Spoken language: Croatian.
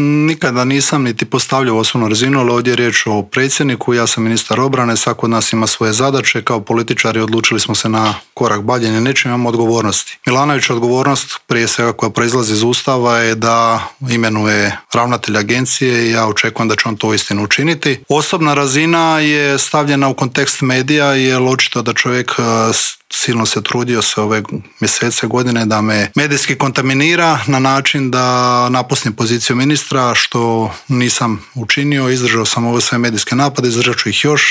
Nikada nisam niti postavljao osobnu razinu, ali ovdje je riječ o predsjedniku, ja sam ministar obrane, svako od nas ima svoje zadaće, kao političari odlučili smo se na korak bavljenja nečim, imamo odgovornosti. Milanović odgovornost, prije svega koja proizlazi iz Ustava, je da imenuje ravnatelja agencije i ja očekujem da će on to uistinu učiniti. Osobna razina je stavljena u kontekst medija, jer očito da čovjek silno se trudio se ove mjesece, godine da me medijski kontaminira na način da napustim poziciju ministra, što nisam učinio. Izdržao sam ove sve medijske napade, izdržat ću ih još.